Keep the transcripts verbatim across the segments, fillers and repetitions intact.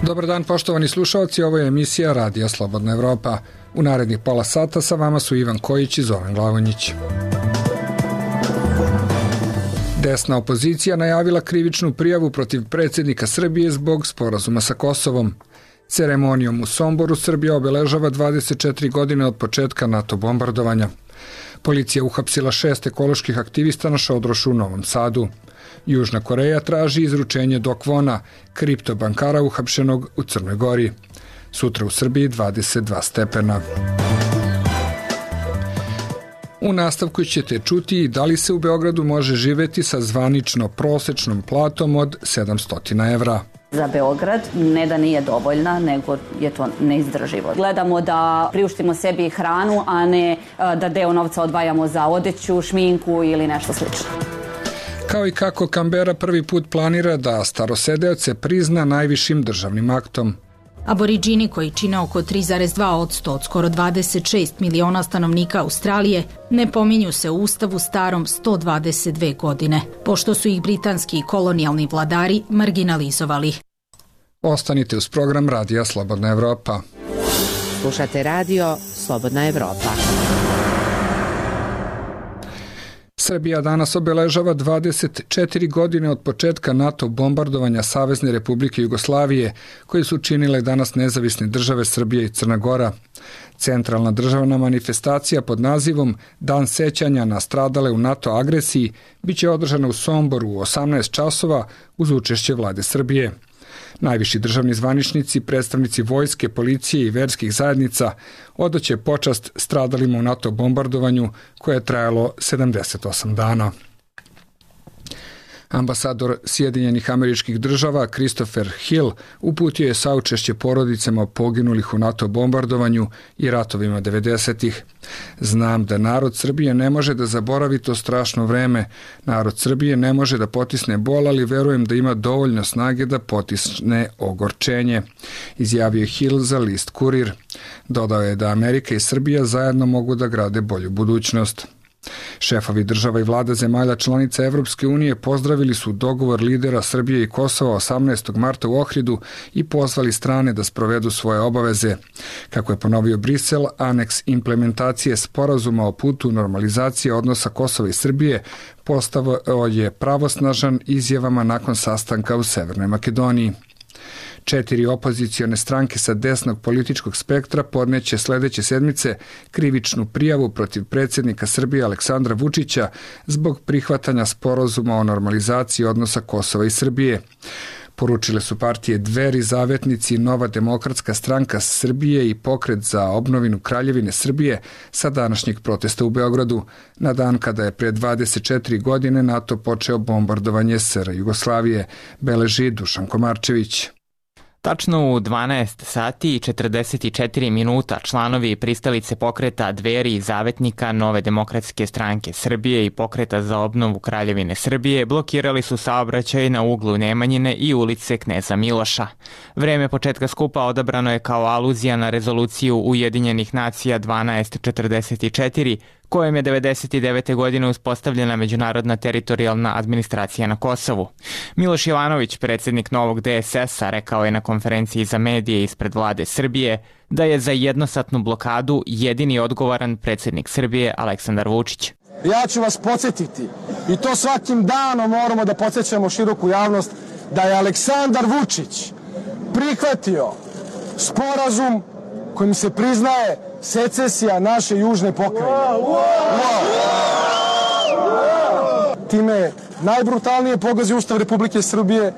Dobar dan poštovani slušalci, ovo je emisija Radija Slobodna Evropa. U narednih pola sata sa vama su Ivan Kojić i Zoran Glavonjić. Desna opozicija najavila krivičnu prijavu protiv predsjednika Srbije zbog sporazuma sa Kosovom. Ceremonijom u Somboru Srbija obeležava dvadeset četiri godine od početka NATO bombardovanja. Policija uhapsila šest ekoloških aktivista na šodrošu u Novom Sadu. Južna Koreja traži izručenje Do Kwona, kriptobankara uhapšenog u Crnoj Gori. Sutra u Srbiji dvadeset dva stepena. U nastavku ćete čuti da li se u Beogradu može živeti sa zvanično prosečnom platom od sedamsto evra. Za Beograd ne da nije dovoljna, nego je to neizdrživo. Gledamo da priuštimo sebi hranu, a ne da deo novca odvajamo za odeću, šminku ili nešto slično. Kao i kako Kambera prvi put planira da starosedeoce prizna najvišim državnim aktom. Aboriđini koji čine oko tri zarez dva posto od skoro dvadeset šest miliona stanovnika Australije ne pominju se u ustavu starom sto dvadeset dve godine, pošto su ih britanski kolonijalni vladari marginalizovali. Ostanite uz program Radija Slobodna Evropa. Slušate radio Slobodna Evropa. Srbija danas obeležava dvadeset četiri godine od početka NATO bombardovanja Savezne Republike Jugoslavije, koje su činile danas nezavisne države Srbije i Crna Gora. Centralna državna manifestacija pod nazivom Dan sećanja na stradale u NATO agresiji biće održana u Somboru u osamnaest časova uz učešće vlade Srbije. Najviši državni zvaničnici, predstavnici vojske, policije i verskih zajednica odaće počast stradalima u NATO bombardovanju koje je trajalo sedamdeset osam dana. Ambasador Sjedinjenih Američkih Država Christopher Hill uputio je saučešće porodicama poginulih u NATO bombardovanju i ratovima devedesetih. Znam da narod Srbije ne može da zaboravi to strašno vreme. Narod Srbije ne može da potisne bol, ali verujem da ima dovoljno snage da potisne ogorčenje, izjavio je Hill za list Kurir. Dodao je da Amerika i Srbija zajedno mogu da grade bolju budućnost. Šefovi država i vlada zemalja članica Evropske unije pozdravili su dogovor lidera Srbije i Kosova osamnaestog marta u Ohridu i pozvali strane da sprovedu svoje obaveze. Kako je ponovio Brisel, aneks implementacije sporazuma o putu normalizacije odnosa Kosova i Srbije postao je pravosnažan izjavama nakon sastanka u Severnoj Makedoniji. Četiri opozicione stranke sa desnog političkog spektra podneće sledeće sedmice krivičnu prijavu protiv predsjednika Srbije Aleksandra Vučića zbog prihvatanja sporazuma o normalizaciji odnosa Kosova i Srbije. Poručile su partije Dveri, Zavetnici, Nova demokratska stranka Srbije i Pokret za obnovinu Kraljevine Srbije sa današnjeg protesta u Beogradu, na dan kada je pre dvadeset četiri godine NATO počeo bombardovanje S R Jugoslavije, beleži Dušan Komarčević. Tačno u dvanaest sati i četrdeset četiri minuta članovi i pristalice pokreta Dveri i Zavetnika, Nove demokratske stranke Srbije i Pokreta za obnovu Kraljevine Srbije blokirali su saobraćaj na uglu Nemanjine i ulice Kneza Miloša. Vreme početka skupa odabrano je kao aluzija na rezoluciju Ujedinjenih nacija dvanaest četrdeset četiri, kojem je devedeset devete godine uspostavljena međunarodna teritorijalna administracija na Kosovu. Miloš Jovanović, predsjednik novog D S S-a, rekao je na konferenciji za medije ispred vlade Srbije da je za jednosatnu blokadu jedini odgovoran predsjednik Srbije Aleksandar Vučić. Ja ću vas podsjetiti, i to svakim danom moramo da podsjećamo široku javnost, da je Aleksandar Vučić prihvatio sporazum kojim se priznaje secesija naše južne pokrajine. Time najbrutalnije pogazio Ustav Republike Srbije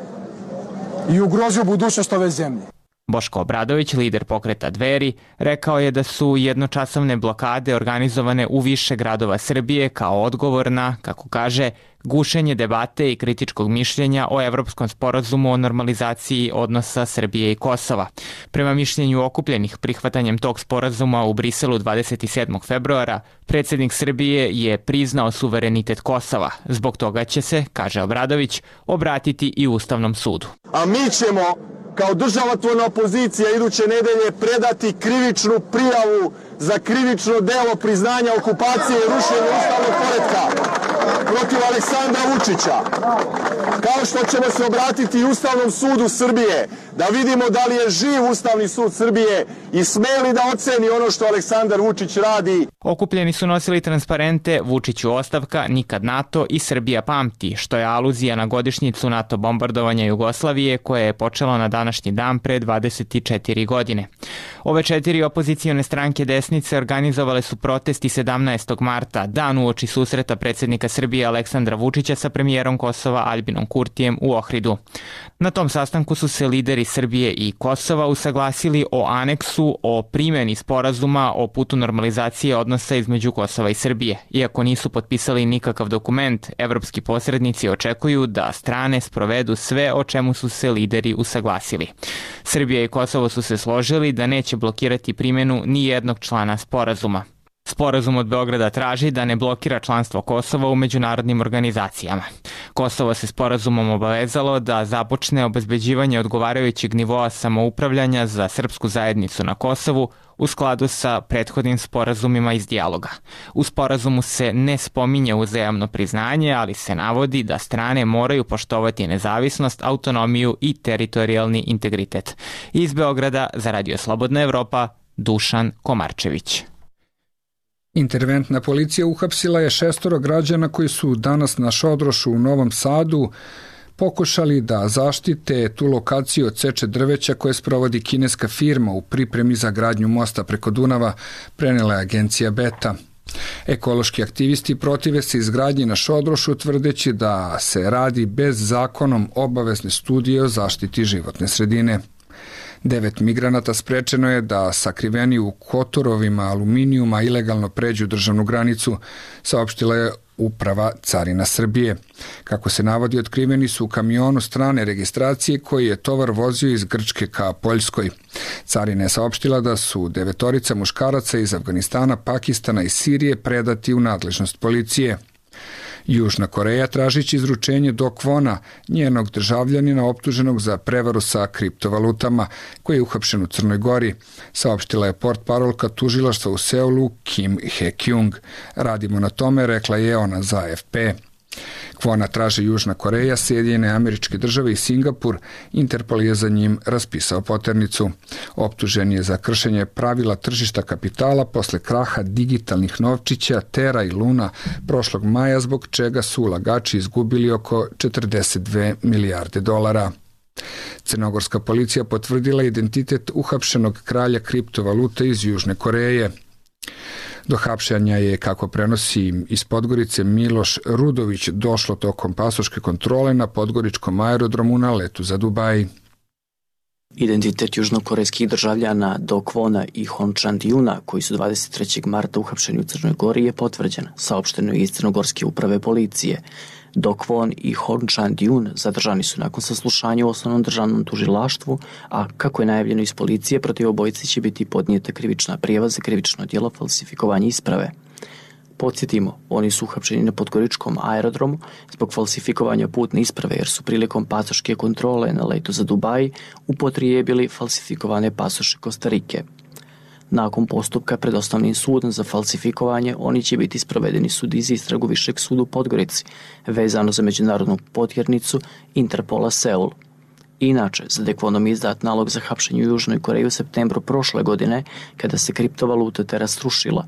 i ugrozio budućnost ove zemlje. Boško Obradović, lider pokreta Dveri, rekao je da su jednočasovne blokade organizovane u više gradova Srbije kao odgovor na, kako kaže, gušenje debate i kritičkog mišljenja o Evropskom sporazumu o normalizaciji odnosa Srbije i Kosova. Prema mišljenju okupljenih prihvatanjem tog sporazuma u Briselu dvadeset sedmog februara, predsjednik Srbije je priznao suverenitet Kosova. Zbog toga će se, kaže Obradović, obratiti i Ustavnom sudu. A mi ćemo kao državotvorna opozicija iduće nedelje predati krivičnu prijavu za krivično delo priznanja okupacije i rušenja ustavnog poretka. protiv Aleksandra Vučića. Kao što ćemo se obratiti i Ustavnom sudu Srbije, da vidimo da li je živ Ustavni sud Srbije i smeli da oceni ono što Aleksandar Vučić radi. Okupljeni su nosili transparente Vučiću ostavka, nikad NATO i Srbija pamti, što je aluzija na godišnjicu NATO bombardovanja Jugoslavije koje je počelo na današnji dan pre dvadeset četiri godine. Ove četiri opozicione stranke desnice organizovale su protesti sedamnaestog marta, dan uoči susreta predsjednika Srbije Aleksandra Vučića sa premijerom Kosova Aljbinom Kurtijem u Ohridu. Na tom sastanku su se lideri Srbije i Kosova usaglasili o aneksu o primjeni sporazuma o putu normalizacije odnosa između Kosova i Srbije. Iako nisu potpisali nikakav dokument, evropski posrednici očekuju da strane sprovedu sve o čemu su se lideri usaglasili. Srbija i Kosovo su se složili da neće blokirati primjenu ni jednog člana sporazuma. Sporazum od Beograda traži da ne blokira članstvo Kosova u međunarodnim organizacijama. Kosovo se sporazumom obavezalo da započne obezbeđivanje odgovarajućeg nivoa samoupravljanja za srpsku zajednicu na Kosovu u skladu sa prethodnim sporazumima iz dijaloga. U sporazumu se ne spominje uzajamno priznanje, ali se navodi da strane moraju poštovati nezavisnost, autonomiju i teritorijalni integritet. Iz Beograda za Radio Slobodna Evropa, Dušan Komarčević. Interventna policija uhapsila je šestoro građana koji su danas na Šodrošu u Novom Sadu pokušali da zaštite tu lokaciju od seče drveća koje sprovodi kineska firma u pripremi za gradnju mosta preko Dunava, prenela je agencija Beta. Ekološki aktivisti protive se izgradnji na Šodrošu tvrdeći da se radi bez zakonom obavezne studije o zaštiti životne sredine. Devet migranata sprečeno je da sakriveni u kotorovima aluminijuma ilegalno pređu državnu granicu, saopštila je Uprava carina Srbije. Kako se navodi, otkriveni su u kamionu strane registracije koji je tovar vozio iz Grčke ka Poljskoj. Carina je saopštila da su devetorica muškaraca iz Afganistana, Pakistana i Sirije predati u nadležnost policije. Južna Koreja tražići izručenje Do Kwona, njenog državljanina optuženog za prevaru sa kriptovalutama, koji je uhapšen u Crnoj Gori, saopštila je portparolka tužilaštva u Seulu Kim He-kyung. Radimo na tome, rekla je ona za A F P. Kwona traže Južna Koreja, Sjedinjene Američke Države i Singapur. Interpol je za njim raspisao poternicu. Optužen je za kršenje pravila tržišta kapitala posle kraha digitalnih novčića Tera i Luna prošlog maja, zbog čega su ulagači izgubili oko četrdeset dve milijarde dolara. Crnogorska policija potvrdila identitet uhapšenog kralja kriptovalute iz Južne Koreje. Do hapšenja je, kako prenosi iz Podgorice Miloš Rudović, došlo tokom pasoške kontrole na podgoričkom aerodromu na letu za Dubaj. Identitet južnokorejskih državljana Do Kwona i Hon Chan-Dyuna, koji su dvadeset trećeg marta uhapšeni u Crnoj Gori, je potvrđen, saopšteno je iz Crnogorske uprave policije. Do Kwon i Hon Chan-Dyun zadržani su nakon saslušanja u osnovnom državnom tužilaštvu, a kako je najavljeno iz policije, protiv obojice će biti podnijeta krivična prijava za krivično djelo falsifikovanja isprave. Podsjetimo, oni su uhapšeni na podgoričkom aerodromu zbog falsifikovanja putne isprave, jer su prilikom pasoške kontrole na letu za Dubaj upotrijebili falsifikovane pasoše Kostarike. Nakon postupka pred osnovnim sudom za falsifikovanje, oni će biti sprovedeni sudi za istragu Višeg suda u Podgorici, vezano za međunarodnu potjernicu Interpola Seul. Inače, za De Kwonom je izdat nalog za hapšenje u Južnoj Koreji u septembru prošle godine, kada se kriptovaluta Tera srušila.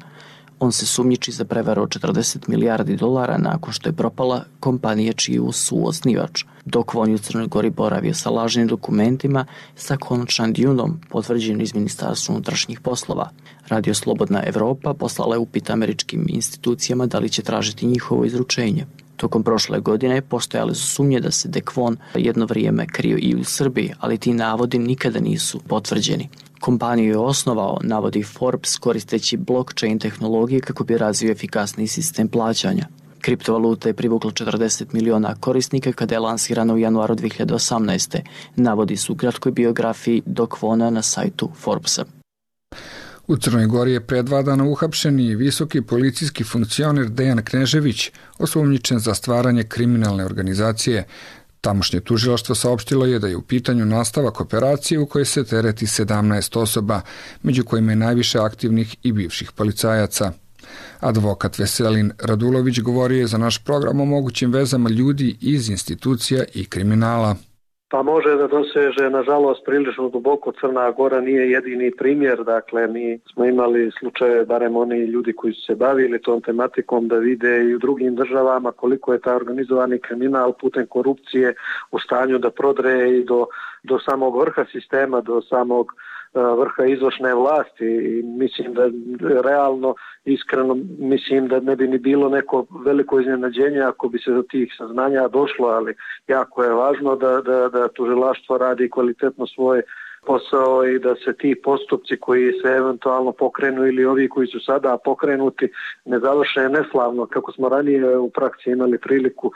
On se sumnjiči za prevaru od četrdeset milijardi dolara nakon što je propala kompanija čiju su osnivač. Do Kwon je u Crnoj Gori boravio sa lažnim dokumentima sa Hon Chan-Dyunom, potvrđeno iz Ministarstva unutrašnjih poslova. Radio Slobodna Evropa poslala je upit američkim institucijama da li će tražiti njihovo izručenje. Tokom prošle godine postojale su sumnje da se De Kwon jedno vrijeme krio i u Srbiji, ali ti navodi nikada nisu potvrđeni. Kompaniju je osnovao, navodi Forbes, koristeći blockchain tehnologije kako bi razvio efikasni sistem plaćanja. Kriptovaluta je privukla četrdeset miliona korisnika kada je lansirana u januaru dve hiljade osamnaeste. Navodi su u kratkoj biografiji Do Kwona na sajtu Forbesa. U Crnoj Gori je pre dva dana uhapšen i visoki policijski funkcioner Dejan Knežević, osumnjičen za stvaranje kriminalne organizacije. Tamošnje tužilaštvo saopštilo je da je u pitanju nastavak operacije u kojoj se tereti sedamnaest osoba, među kojima je najviše aktivnih i bivših policajaca. Advokat Veselin Radulović govorio je za naš program o mogućim vezama ljudi iz institucija i kriminala. Pa može da doseže, nažalost, prilično duboko. Crna Gora nije jedini primjer. Dakle, mi smo imali slučaje, barem oni ljudi koji su se bavili tom tematikom, da vide i u drugim državama koliko je taj organizovani kriminal putem korupcije u stanju da prodre i do, do samog vrha sistema, do samog vrha izvršne vlasti. I mislim da realno, iskreno, mislim da ne bi ni bilo neko veliko iznenađenje ako bi se do tih saznanja došlo, ali jako je važno da, da, da tužilaštvo radi kvalitetno svoj posao i da se ti postupci koji se eventualno pokrenu ili ovi koji su sada pokrenuti ne završe neslavno, kako smo ranije u praksi imali priliku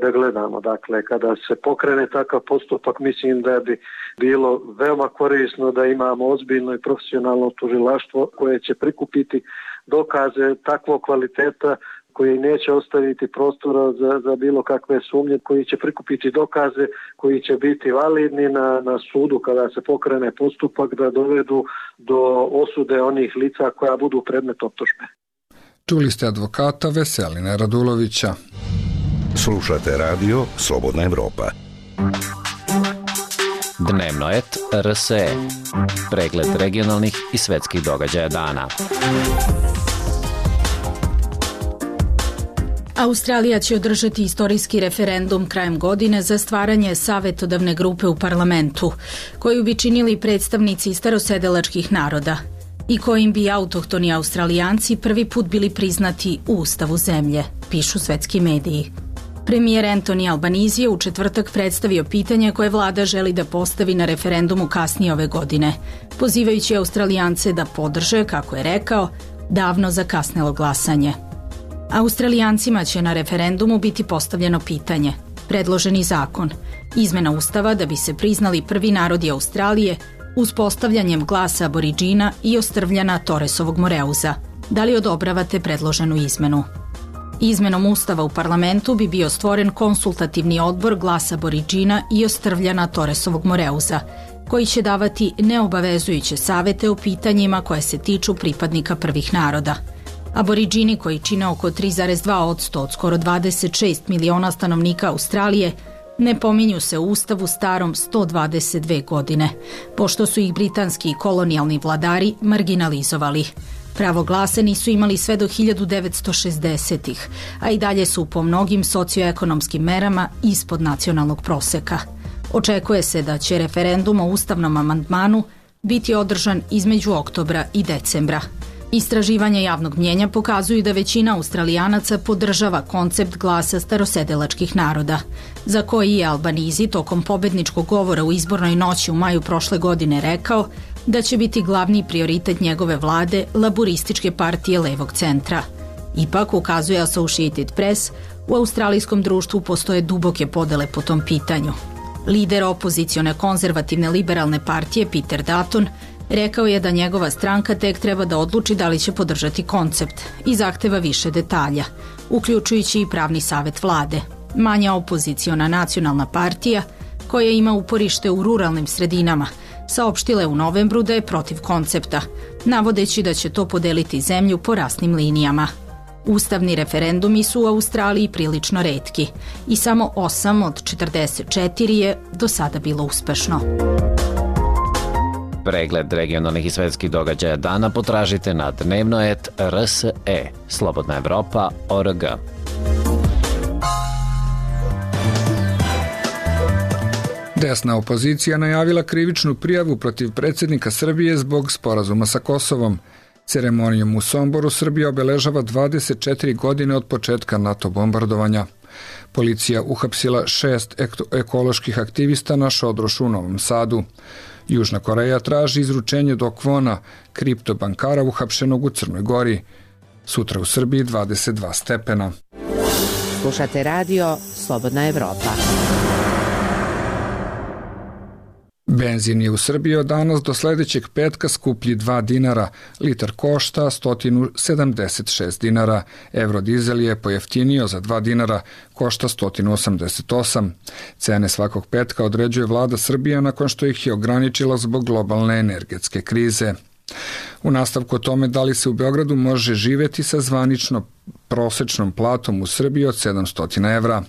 da gledamo. Dakle, kada se pokrene takav postupak, mislim da bi bilo veoma korisno da imamo ozbiljno i profesionalno tužilaštvo koje će prikupiti dokaze takvog kvaliteta koji neće ostaviti prostora za, za bilo kakve sumnje, koji će prikupiti dokaze, koji će biti validni na, na sudu kada se pokrene postupak, da dovedu do osude onih lica koja budu predmet optužbe. Čuli ste advokata Veselina Radulovića. Slušate radio Slobodna Evropa. Dnevno et R S E. Pregled regionalnih i svetskih događaja dana. Australija će održati istorijski referendum krajem godine za stvaranje savetodavne grupe u parlamentu, koju bi činili predstavnici starosedelačkih naroda i kojim bi autohtoni Australijanci prvi put bili priznati u ustavu zemlje, pišu svetski mediji. Premijer Anthony Albanese je u četvrtak predstavio pitanje koje vlada želi da postavi na referendumu kasnije ove godine, pozivajući Australijance da podrže, kako je rekao, davno zakasnelo glasanje. Australijancima će na referendumu biti postavljeno pitanje, predloženi zakon, izmena ustava da bi se priznali prvi narodi Australije uspostavljanjem glasa aboriđina i ostrvljana Torresovog Moreuza. Da li odobravate predloženu izmenu? Izmenom ustava u parlamentu bi bio stvoren konsultativni odbor glasa aboriđina i ostrvljana Torresovog Moreuza, koji će davati neobavezujuće savete o pitanjima koje se tiču pripadnika prvih naroda. Aboriđini, koji čine oko tri zarez dva posto od skoro dvadeset šest miliona stanovnika Australije, ne pominju se u ustavu starom sto dvadeset dve godine, pošto su ih britanski kolonijalni vladari marginalizovali. Pravo glasa nisu imali sve do hiljadu devetsto šezdesetih, a i dalje su po mnogim socioekonomskim merama ispod nacionalnog proseka. Očekuje se da će referendum o ustavnom amandmanu biti održan između oktobra i decembra. Istraživanja javnog mnjenja pokazuju da većina Australijanaca podržava koncept glasa starosedelačkih naroda, za koji je Albanese tokom pobedničkog govora u izbornoj noći u maju prošle godine rekao da će biti glavni prioritet njegove vlade laburističke partije levog centra. Ipak, ukazuje Associated Press, u australijskom društvu postoje duboke podele po tom pitanju. Lider opozicione konzervativne liberalne partije Peter Dutton rekao je da njegova stranka tek treba da odluči da li će podržati koncept i zahteva više detalja, uključujući i pravni savet vlade. Manja opoziciona nacionalna partija, koja ima uporište u ruralnim sredinama, saopštila je u novembru da je protiv koncepta, navodeći da će to podeliti zemlju po rasnim linijama. Ustavni referendumi su u Australiji prilično retki i samo osam od četrdeset četiri je do sada bilo uspešno. Pregled regionalnih i svetskih događaja dana potražite na dnevno et R S E, Slobodna Evropa, O R G. Desna opozicija najavila krivičnu prijavu protiv predsjednika Srbije zbog sporazuma sa Kosovom. Ceremonijom u Somboru Srbija obeležava dvadeset četiri godine od početka NATO bombardovanja. Policija uhapsila šest ekoloških aktivista na Šodrošu u Novom Sadu. Južna Koreja traži izručenje Do Kwona, kriptobankara uhapšenog u Crnoj Gori. Sutra u Srbiji dvadeset dva stepena. Slušate radio Slobodna Evropa. Benzin je u Srbiji od danas do sledećeg petka skuplji dva dinara, litar košta sto sedamdeset šest dinara, eurodizel je pojeftinio za dva dinara, košta sto osamdeset osam. Cene svakog petka određuje vlada Srbije nakon što ih je ograničila zbog globalne energetske krize. U nastavku o tome da li se u Beogradu može živeti sa zvanično prosečnom platom u Srbiji od sedamsto evra.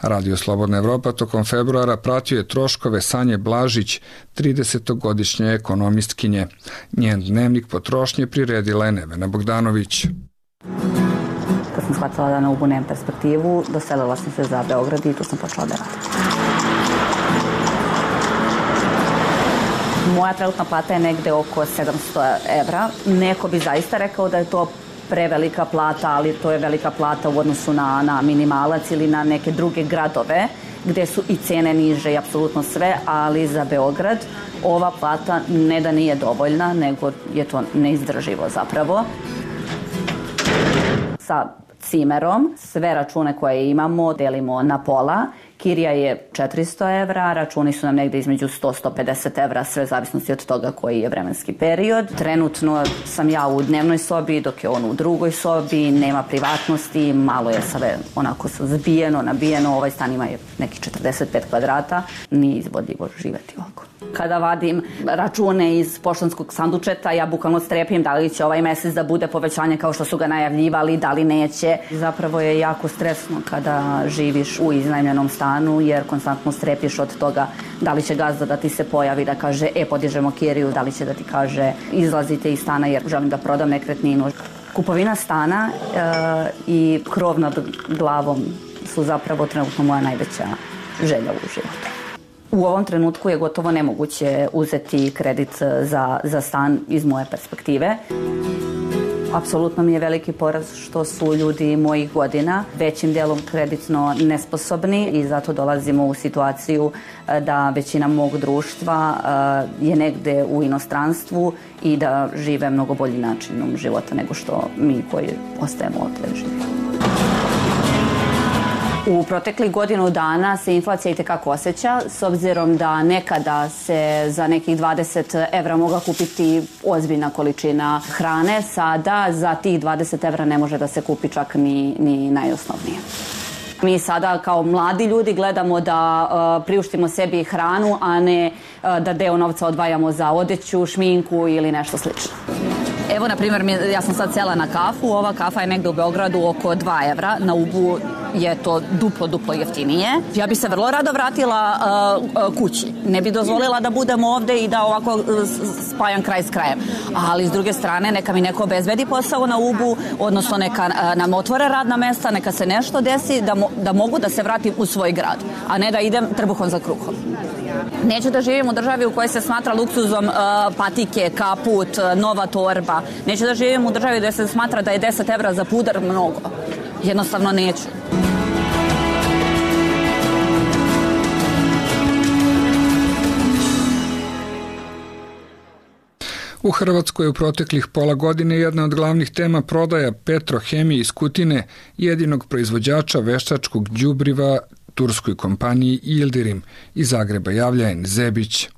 Radio Slobodna Evropa tokom februara pratio je troškove Sanje Blažić, tridesetogodišnje ekonomistkinje. Njen dnevnik potrošnje priredila je Nevena Bogdanović. Kad sam shvatila da na Ubu nemam perspektivu, doselila sam se za Beograd i tu sam počela da radim. Moja trenutna plata je negde oko sedamsto evra. Neko bi zaista rekao da je to prevelika plata, ali to je velika plata u odnosu na, na minimalac ili na neke druge gradove gde su i cene niže i apsolutno sve, ali za Beograd ova plata ne da nije dovoljna, nego je to neizdrživo zapravo. Sa cimerom sve račune koje imamo delimo na pola. Kirija je četiristo evra, računi su nam negde između sto do sto pedeset evra, sve zavisnosti od toga koji je vremenski period. Trenutno sam ja u dnevnoj sobi, dok je on u drugoj sobi, nema privatnosti, malo je sve onako zbijeno, nabijeno, ovaj stan ima je neki četrdeset pet kvadrata, nije izvodljivo živeti ovako. Kada vadim račune iz poštanskog sandučeta, ja bukvalno strepim da li će ovaj mesec da bude povećanje kao što su ga najavljivali, da li neće. Zapravo je jako stresno kada živiš u iznajmljenom stanu, jer konstantno strepiš od toga da li će gazda da ti se pojavi, da kaže e, podižemo kiriju, da li će da ti kaže izlazite iz stana jer želim da prodam nekretninu. Kupovina stana e, i krov nad glavom su zapravo trenutno moja najveća želja u životu. U ovom trenutku je gotovo nemoguće uzeti kredit za, za stan iz moje perspektive. Apsolutno mi je veliki poraz što su ljudi mojih godina većim delom kreditno nesposobni i zato dolazimo u situaciju da većina mog društva je negde u inostranstvu i da žive mnogo bolji načinom života nego što mi koji ostajemo ovdje živimo. U proteklih godinu dana se inflacija itekako osjeća, s obzirom da nekada se za nekih dvadeset evra mogla kupiti ozbiljna količina hrane, sada za tih dvadeset evra ne može da se kupi čak ni, ni najosnovnije. Mi sada kao mladi ljudi gledamo da uh, priuštimo sebi hranu, a ne uh, da deo novca odvajamo za odeću, šminku ili nešto slično. Evo, na primjer, ja sam sad sela na kafu, ova kafa je negde u Beogradu oko dva evra, na Ubu je to duplo, duplo jeftinije. Ja bi se vrlo rado vratila uh, kući. Ne bi dozvolila da budem ovde i da ovako uh, spajam kraj s krajem. Ali s druge strane, neka mi neko obezbedi posao na Ubu, odnosno neka uh, nam otvore radna mesta, neka se nešto desi da, mo da mogu da se vratim u svoj grad, a ne da idem trbuhom za kruhom. Neću da živim u državi u kojoj se smatra luksuzom uh, patike, kaput, uh, nova torba. Neću da živim u državi gde se smatra da je deset evra za puder mnogo. Jednostavno neću. U Hrvatskoj u proteklih pola godine jedna od glavnih tema prodaja Petrohemije iz Kutine, jedinog proizvođača veštačkog đubriva turskoj kompaniji Yildirim. Iz Zagreba javlja En Zebić.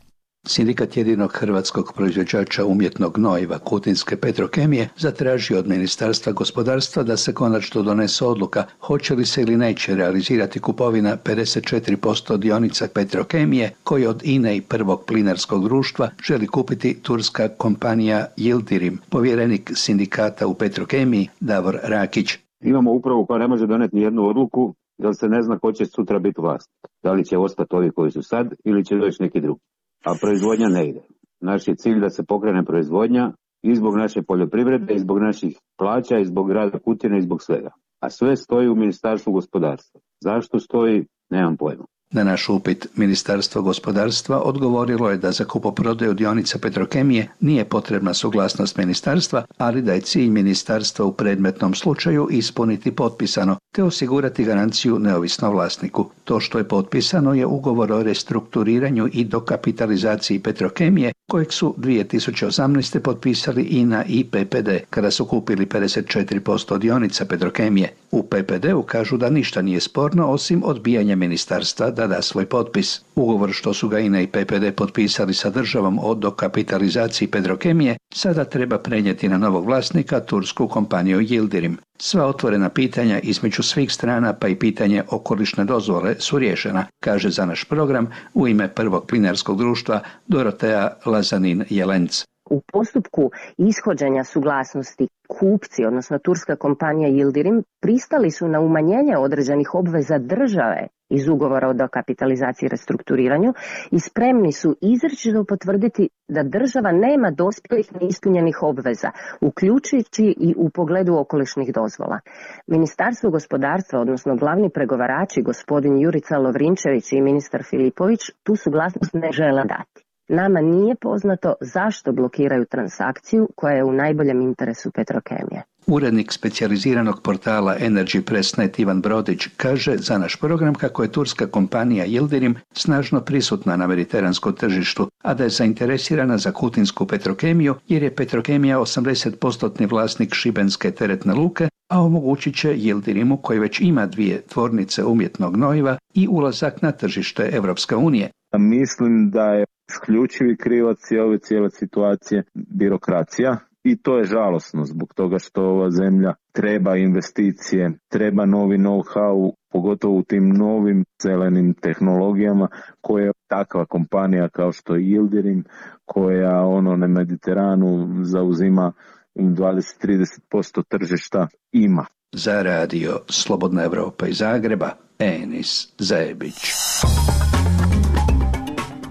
Sindikat jedinog hrvatskog proizvođača umjetnog gnojiva Kutinske Petrokemije zatražio od Ministarstva gospodarstva da se konačno donese odluka hoće li se ili neće realizirati kupovina pedeset četiri posto dionica Petrokemije koje od I N E i prvog plinarskog društva želi kupiti turska kompanija Yildirim. Povjerenik sindikata u Petrokemiji Davor Rakić. Imamo upravu koja ne može doneti ni jednu odluku da se ne zna ko će sutra biti vlast. Da li će ostati ovi koji su sad ili će doći neki drugi. A proizvodnja ne ide. Naš je cilj da se pokrene proizvodnja i zbog naše poljoprivrede, i zbog naših plaća, i zbog grada Kutine, i zbog svega. A sve stoji u Ministarstvu gospodarstva. Zašto stoji, nemam pojma. Na naš upit Ministarstvo gospodarstva odgovorilo je da za kupoprodaju dionica Petrokemije nije potrebna suglasnost ministarstva, ali da je cilj ministarstva u predmetnom slučaju ispuniti potpisano, te osigurati garanciju neovisnom vlasniku. To što je potpisano je ugovor o restrukturiranju i dokapitalizaciji Petrokemije, kojeg su dvije tisuće osamnaeste. potpisali I N A i P P D, kada su kupili pedeset četiri posto dionica Petrokemije. U P P D-u kažu da ništa nije sporno osim odbijanja ministarstva da da svoj potpis. Ugovor što su ga I N A i P P D potpisali sa državom o dokapitalizaciji Petrokemije sada treba prenijeti na novog vlasnika, tursku kompaniju Yildirim. Sva otvorena pitanja između svih strana pa i pitanje okolišne dozvole su riješena, kaže za naš program u ime prvog plinarskog društva Dorotea Lazanin Jelenc. U postupku ishođenja suglasnosti kupci, odnosno turska kompanija Yildirim, pristali su na umanjenje određenih obveza države iz ugovora o dokapitalizaciji i restrukturiranju i spremni su izričito potvrditi da država nema dospjelih neispunjenih obveza, uključujući i u pogledu okolišnih dozvola. Ministarstvo gospodarstva, odnosno glavni pregovarači, gospodin Jurica Lovrinčević i ministar Filipović, tu suglasnost ne žele dati. Nama nije poznato zašto blokiraju transakciju koja je u najboljem interesu Petrokemije. Urednik specijaliziranog portala Energy Press Net Ivan Brodić kaže za naš program kako je turska kompanija Yildirim snažno prisutna na mediteranskom tržištu, a da je zainteresirana za kutinsku Petrokemiju jer je Petrokemija osamdeset posto vlasnik šibenske teretne luke, a omogućit će Yildirimu, koji već ima dvije tvornice umjetnog gnojiva, i ulazak na tržište Evropske unije. Mislim da je isključivi krivac ove cijele situacije birokracija. I to je žalosno zbog toga što ova zemlja treba investicije, treba novi know-how, pogotovo u tim novim zelenim tehnologijama koje takva kompanija kao što je Yildirim, koja ono na Mediteranu zauzima dvadeset do trideset posto tržišta, ima. Za radio Slobodna Evropa iz Zagreba, Enis Zajebić.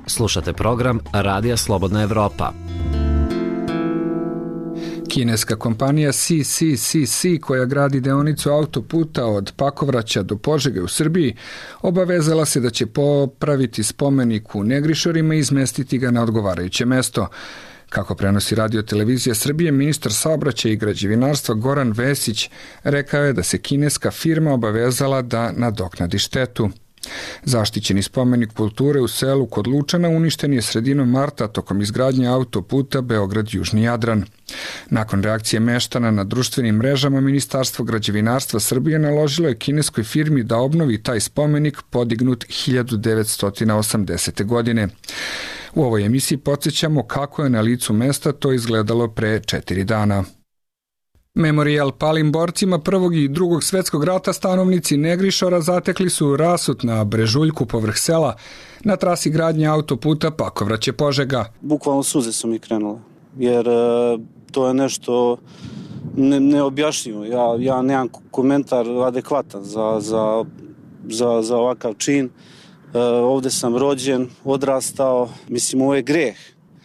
Slušate program Radija Slobodna Evropa. Kineska kompanija C C C C, koja gradi deonicu autoputa od Pakovraća do Požege u Srbiji, obavezala se da će popraviti spomenik u Negrišorima i izmestiti ga na odgovarajuće mesto. Kako prenosi Radio Televizija Srbije, ministar saobraćaja i građevinarstva Goran Vesić rekao je da se kineska firma obavezala da nadoknadi štetu. Zaštićeni spomenik kulture u selu kod Lučana uništen je sredinom marta tokom izgradnje autoputa Beograd-Južni Jadran. Nakon reakcije meštana na društvenim mrežama, Ministarstvo građevinarstva Srbije naložilo je kineskoj firmi da obnovi taj spomenik podignut hiljadu devetsto osamdesete. godine. U ovoj emisiji podsjećamo kako je na licu mesta to izgledalo pre četiri dana. Memorijal palim borcima Prvog i Drugog svetskog rata stanovnici Negrišora zatekli su rasut na brežuljku povrh sela na trasi gradnje autoputa Pakovraće-Požega. Bukvalno suze su mi krenule, jer e, to je nešto ne, neobjašnjivo. Ja, ja nemam komentar adekvatan za, za, za, za ovakav čin. E, ovde sam rođen, odrastao, mislim ovo je greh.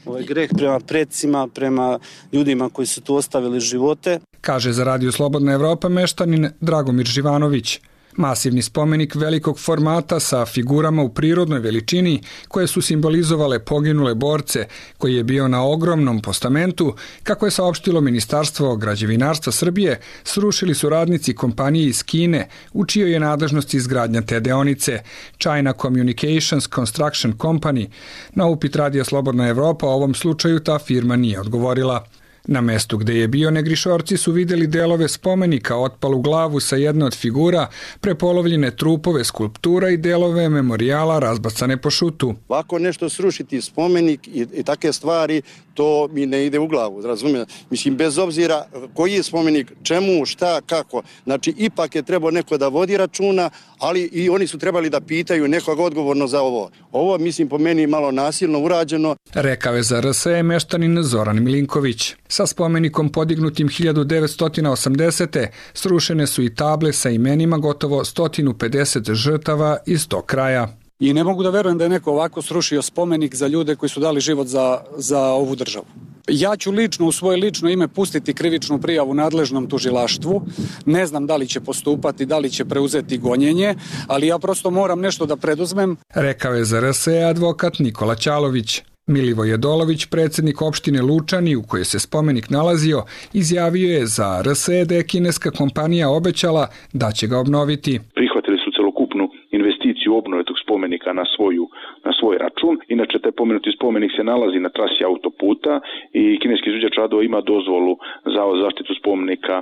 Ovo je greh prema predsima, prema ljudima koji su tu ostavili živote. Kaže za Radio Slobodna Evropa meštanin Dragomir Živanović. Masivni spomenik velikog formata sa figurama u prirodnoj veličini koje su simbolizovale poginule borce, koji je bio na ogromnom postamentu, kako je saopštilo Ministarstvo građevinarstva Srbije, srušili su radnici kompanije iz Kine, u čijoj je nadležnosti izgradnja te deonice, China Communications Construction Company. Na upit Radija Slobodna Evropa o ovom slučaju ta firma nije odgovorila. Na mestu gde je bio Negrišorci su videli delove spomenika, otpalu glavu sa jedne od figura, prepolovljene trupove skulptura i delove memorijala razbacane po šutu. Ovako nešto srušiti spomenik i, i take stvari, to mi ne ide u glavu, razumijem. Mislim, bez obzira koji je spomenik, čemu, šta, kako. Znači, ipak je trebao neko da vodi računa, ali i oni su trebali da pitaju nekog odgovorno za ovo. Ovo, mislim, po meni malo nasilno urađeno. Rekao je za R S E meštanin Zoran Milinković. Sa spomenikom podignutim hiljadu devetsto osamdesete. srušene su i table sa imenima gotovo sto pedeset žrtava iz tog kraja. I ne mogu da verujem da je neko ovako srušio spomenik za ljude koji su dali život za, za ovu državu. Ja ću lično u svoje lično ime pustiti krivičnu prijavu nadležnom tužilaštvu. Ne znam da li će postupati, da li će preuzeti gonjenje, ali ja prosto moram nešto da preduzmem. Rekao je za R S E advokat Nikola Ćalović. Milivoj Jedolović, predsjednik opštine Lučani u kojoj se spomenik nalazio, izjavio je za R S E da je kineska kompanija obećala da će ga obnoviti. Prihvatili su celokupnu investiciju obnove tog spomenika na svoju na svoj račun. Inače, taj pomenuti spomenik se nalazi na trasi autoputa i kineski izvođač radova ima dozvolu za zaštitu spomenika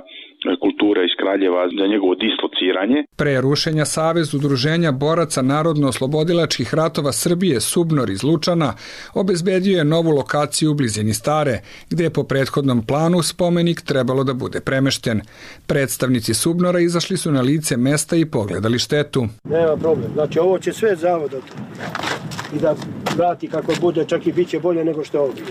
kulture iz Kraljeva za njegovo dislociranje. Pre rušenja Savez udruženja boraca narodno-oslobodilačkih ratova Srbije Subnor iz Lučana obezbedio je novu lokaciju u blizini Stare, gde je po prethodnom planu spomenik trebalo da bude premešten. Predstavnici Subnora izašli su na lice mesta i pogledali štetu. Nema problem, znači ovo će sve zavod i da vrati kako bude, čak i bit će bolje nego što je ovdje.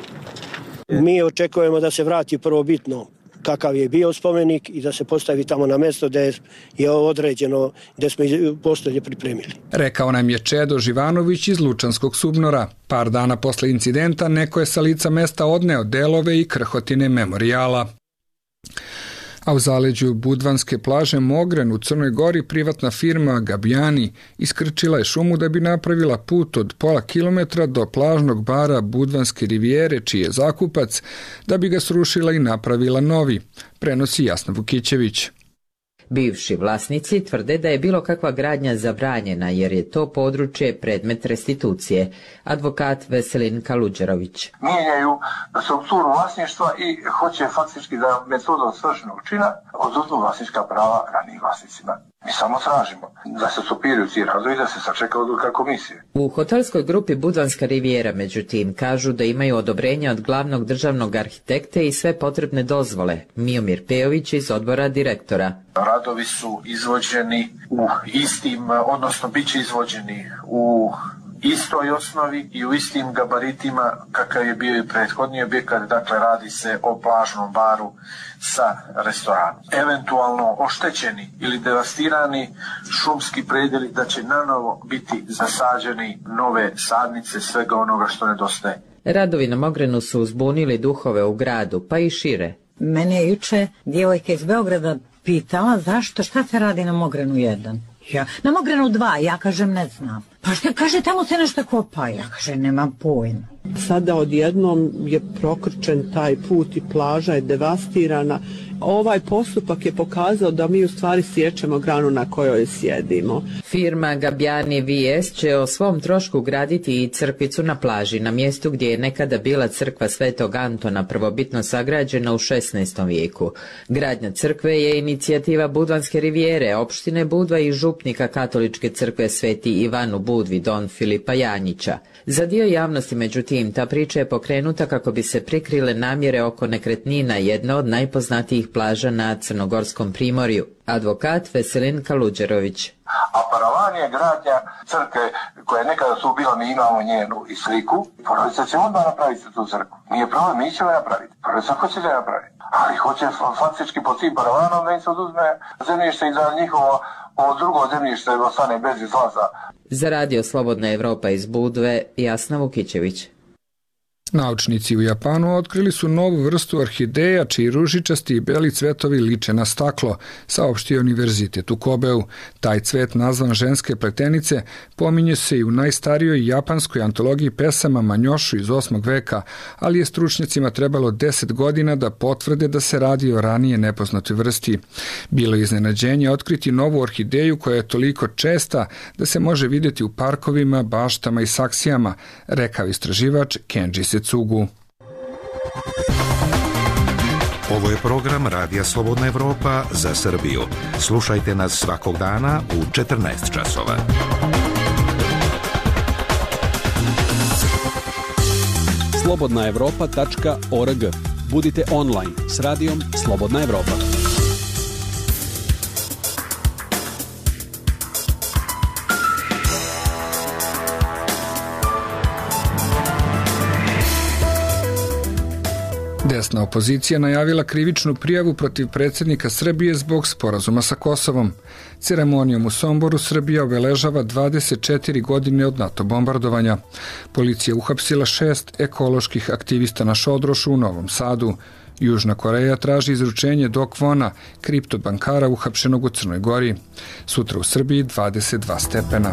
Mi očekujemo da se vrati prvobitno kakav je bio spomenik i da se postavi tamo na mesto gde je određeno, gde smo postolje pripremili. Rekao nam je Čedo Živanović iz Lučanskog Subnora. Par dana posle incidenta neko je sa lica mesta odneo delove i krhotine memorijala. A u zaleđu Budvanske plaže Mogren u Crnoj Gori privatna firma Gabijani iskrčila je šumu da bi napravila put od pola kilometra do plažnog bara Budvanske rivijere, čiji je zakupac, da bi ga srušila i napravila novi, prenosi Jasna Vukićević. Bivši vlasnici tvrde da je bilo kakva gradnja zabranjena jer je to područje predmet restitucije. Advokat Veselin Kaluđerović. Mijenjaju strukturu vlasništva i hoće faktički da metodom svršenog čina oduzmu vlasnička prava ranijim vlasnicima. Mi samo tražimo da se stopiraju ti radovi i da se sačeka odluka komisije. U hotelskoj grupi Budvanska rivijera, međutim, kažu da imaju odobrenje od glavnog državnog arhitekte i sve potrebne dozvole. Miomir Pejović iz odbora direktora. Radovi su izvođeni u istim, odnosno bit će izvođeni u istoj osnovi i u istim gabaritima kakav je bio i prethodni objekat, dakle radi se o plažnom baru sa restoranom. Eventualno oštećeni ili devastirani šumski predeli da će nanovo biti zasađeni nove sadnice svega onoga što nedostaje. Radovi na Mogrenu su uzbunili duhove u gradu, pa i šire. Mene je juče djevojka iz Beograda pitala zašto, šta se radi na Mogrenu jedan? Ja, na Mogrenu dva, ja kažem ne znam. Pa što kaže, tamo se nešto kopa, ja kažem nemam pojma. Sada odjednom je prokrčen taj put i plaža je devastirana. Ovaj postupak je pokazao da mi u stvari sjećemo granu na kojoj sjedimo. Firma Gabijani V S će o svom trošku graditi i crkvicu na plaži, na mjestu gdje je nekada bila crkva Svetog Antona, prvobitno sagrađena u šesnaestom vijeku. Gradnja crkve je inicijativa Budvanske rivijere, opštine Budva i župnika katoličke crkve Sveti Ivan u Budvi, don Filipa Janjića. Za dio javnosti, međutim, ta priča je pokrenuta kako bi se prikrile namjere oko nekretnina, jedna od najpoznatijih plaža na Crnogorskom primorju. Advokat Veselin Kaluđerović. A paravan je gradnja crkve koja nekada su bila, mi imamo njenu i sliku. Porodica će odmah napraviti tu crkvu. Nije problem, mi ćemo napraviti. Porodica hoće da napraviti. Ali hoće faktički pod tim paravanom da im se oduzme zemljište i da njihovo ovo drugo zemljište ostane bez izlaza. Za radio Slobodna Evropa iz Budve, Jasna Vukićević. Naučnici u Japanu otkrili su novu vrstu orhideja čiji ružičasti i beli cvetovi liče na staklo, saopštio Univerzitet u Kobeu. Taj cvet, nazvan ženske pletenice, pominje se i u najstarijoj japanskoj antologiji pesama Manjošu iz osmog veka, ali je stručnjacima trebalo deset godina da potvrde da se radi o ranije nepoznatoj vrsti. Bilo je iznenađenje otkriti novu orhideju koja je toliko česta da se može vidjeti u parkovima, baštama i saksijama, rekao istraživač Kenji Setsugu. Ovo je program Radija Slobodna Evropa za Srbiju. Slušajte nas svakog dana u četrnaest časova. slobodna evropa tačka org. Budite online s radijom Slobodna Evropa. Desna opozicija najavila krivičnu prijavu protiv predsjednika Srbije zbog sporazuma sa Kosovom. Ceremonijom u Somboru Srbija obeležava dvadeset četiri godine od NATO bombardovanja. Policija uhapsila šest ekoloških aktivista na Šodrošu u Novom Sadu. Južna Koreja traži izručenje Do Kwona, kriptobankara uhapšenog u Crnoj Gori. Sutra u Srbiji dvadeset dva stepena.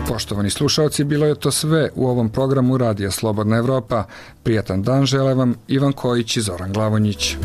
Poštovani slušalci, bilo je to sve u ovom programu Radija Slobodna Evropa. Prijatan dan žele vam Ivan Kojić i Zoran Glavonjić.